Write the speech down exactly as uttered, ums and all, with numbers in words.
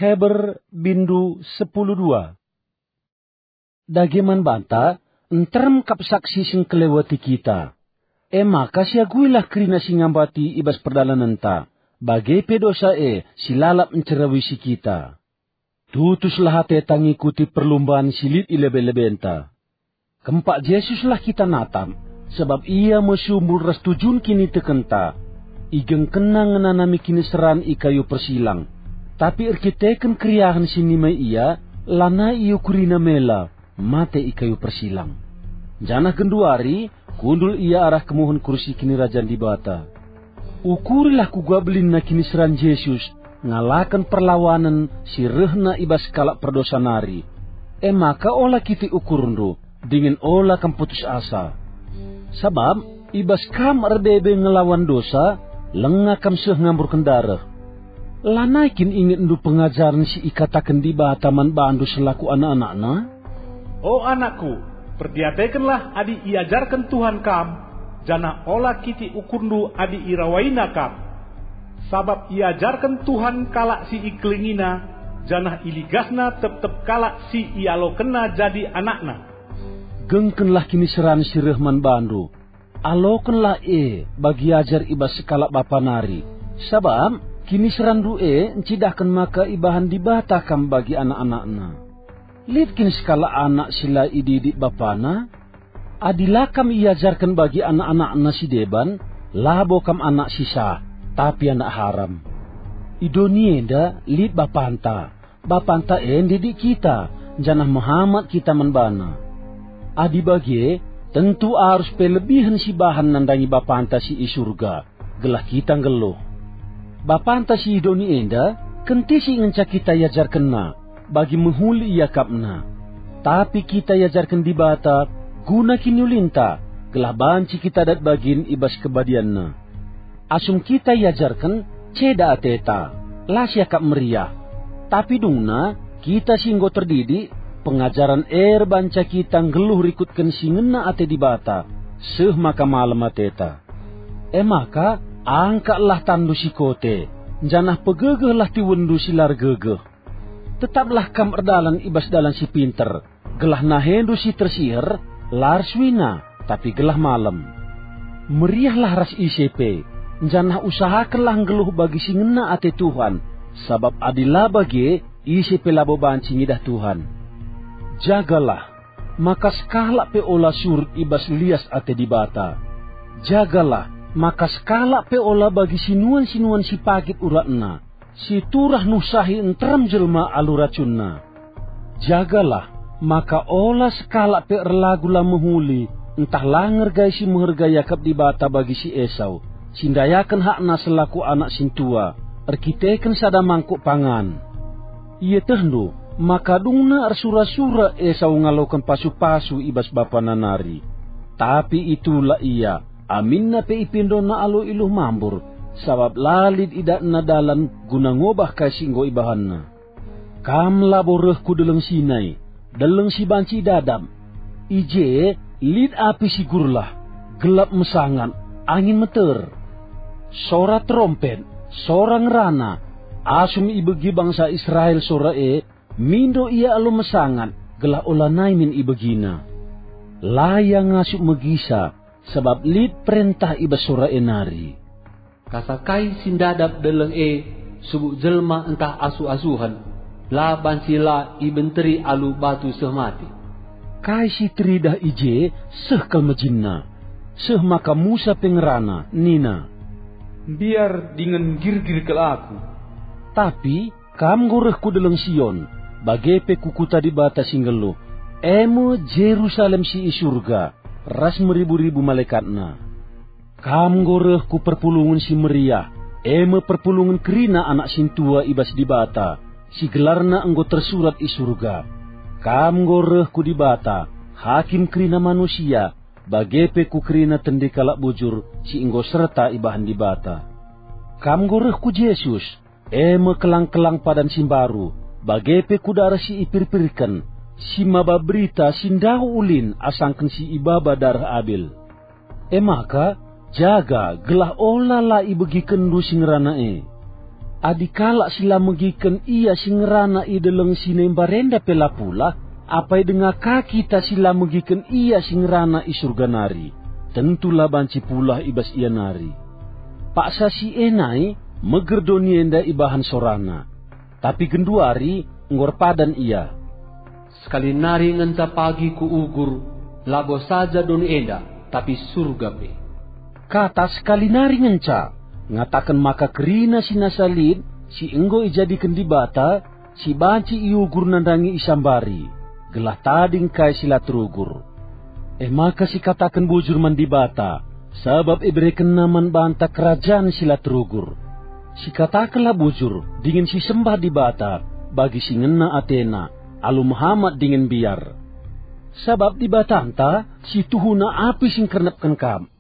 Heber bindu sepuluh dua. Dage man banta, nterem kap saksi si ngkeleweti kita. E maka siaguilah kerina si ngambati i bas perdalanenta, bage pe dosa e si lalap ncerawisi kita. Tutuslah ateta ngikuti perlumban si lit i lebe-lebenta. Kempak Jesuslah kita natap, sabap Ia me sumbul ras tujun kinitekenta. Igengkenna ngenanami kiniseran i kayu persilang, tapi erkiteken keriahen si nimai Ia, lanai iukuriNa mela, mate i kayu persilang. Janah genduari kundul Ia arah kemuhen kursi kinirajan Dibata. Ukurilah kuga belinna kiniseran Jesus ngalaken perlawanen si rehna i bas kalak perdosa nari. E maka ola kitik ukurndu, dingen ola kam putus asa. Sabap i bas kam erbebe ngelawan dosa, langa kam seh ngamburken dareh. Lanai kin ingetndu pengajaren si ikataken Dibata man bandu selaku anak-anakNa? O anakku, perdiatekenlah adi iajarken Tuhan kam, janah ola kitik ukurndu adi irawaina kam. Sabap iajarken Tuhan kalak si ikelengiNa, janah iligasNa tep-tep kalak si ialokenNa jadi anakNa. Gengkenlah kiniseran si reh man bandu. Alokenlah e bagi ajar i bas sekalak bapa nari, sabap kiniseranndu e ncidahken maka ibahan Dibata kam bagi anak-anakNa. Lit kin sekalak anak si la ididik bapana? Adi la kam iajarken bagi anak-anakna si deban, labo kam anak si sah, tapi anak haram. I doni enda lit bapanta. Bapanta e ndidik kita, janah mehamat kita man bana. Adi bage, tentu arus pe lebihen sibahan nandangi Bapanta si i Surga, gelah kita nggeluh. Bapanta si i doni enda kentisik ngenca kita iajarkenNa, bagi mehuli iakapNa. Tapi kita iajarken Dibata guna kiniulinta, gelah banci kita dat bagin i bas kebadianNa. Asum kita iajarken, ceda ateta, la siakap meriah. Tapi dungna, kita si enggo terdidik, pengajaren e erbanca kita nggeluh rikutken si ngena ate Dibata, seh maka malem ateta. E maka, angkatlah tanndu si kote, janah pegegehlah tiwenndu si la ergegeh. Tetaplah kam erdalan i bas dalan si pinter, gelah nahendu si tersiher la ersuina, tapi gelah malem. Meriahlah ras ise pe, janah usahakenlah nggeluh bagi si ngena ate Tuhan, sabap adi la bage, ise pe labo banci ngidah Tuhan. Jagalah, maka sekalak pe ola surut i bas lias ate Dibata. Jagalah, maka sekalak pe ola bagi sinuan-sinuan si pagit uratna, si turah nuhsahi nterem jelma alu racunna. Jagalah, maka ola sekalak pe erlagu la mehuli, ntah la ngergai si meherga iakap Dibata bagi si Esau, si ndayaken hakna selaku anak sintua, erkiteken sada mangkuk pangan. Ietehndu maka dungna ersura-sura Esau ngaloken pasu-pasu i bas bapana nari. Tapi itulak ia, aminna pe ipindona alu iluh mambur, sabap la lit idatna dalan guna ngobah kai si enggo ibahanna. Kam labo reh ku Deleng Sinai, deleng si banci idadap. I je lit api si gurlah, gelap mesangat, angin meter. Sora terompet, sora ngerana, asum ibegi bangsa Israel sora e, mindo ia alu mesangat, gelah olanai min ibegina. La ia ngasup megisa, sabap lit perentah i bas sora e nari. Kasa kai si ndadap deleng e, subuk jelma ntah asuh-asuhen, la banci la ibenteri alu batu seh mate. Kai si teridah i je seh kal mejinna, seh maka Musa pe ngerana, nina, "Mbiar dingen nggirgir kal aku." Tapi kam enggo reh ku Deleng Sion, bage pe ku kuta Dibata si nggeluh, e me Jerusalem si i Surga, ras meribu-ribu malaekatna. Kam enggo reh ku perpulungen si meriah, e me perpulungen kerina anak sintua i bas Dibata, si gelarna enggo tersurat i Surga. Kam enggo reh ku Dibata, Hakim kerina manusia, bage pe ku kerina tendi kalak bujur si enggo serta ibahan Dibata. Kam enggo reh ku Jesus, e me kelang-kelang padan si mbaru, bage pe ku dareh si ipirpirken, si maba berita si ndauh ulin asangken si ibaba dareh Abel. E maka, jaga gelah ola la ibegikenndu si ngerana e. Adi kalak si la megiken ia si ngerana i deleng si nembar enda pe la pulah, apai denga ka kita si la megiken ia si ngerana i Surga nari? Tentu la banci pulah i bas ia nari. Paksa si e nai, meger doni enda ibahan sorana. Tapi genduari enggo erpadan ia. Sekali nari ngenca pagi kuugur, labo saja doni enda, tapi Surga pe. Kata sekali nari ngenca, ngataken maka kerina si nasa lit, si enggo ijadiken Dibata, si banci iugur nandangi isambari, gelah tading kai si la terugur. E maka sikataken bujur man Dibata, sabap iberekenNa man banta kerajan si la terugur. Sikatakenlah bujur dingen sisembah Dibata bagi si ngena atena, alu mehamat dingen mbiar. Sabap Dibatanta si tuhuna api si ngkernepken kam.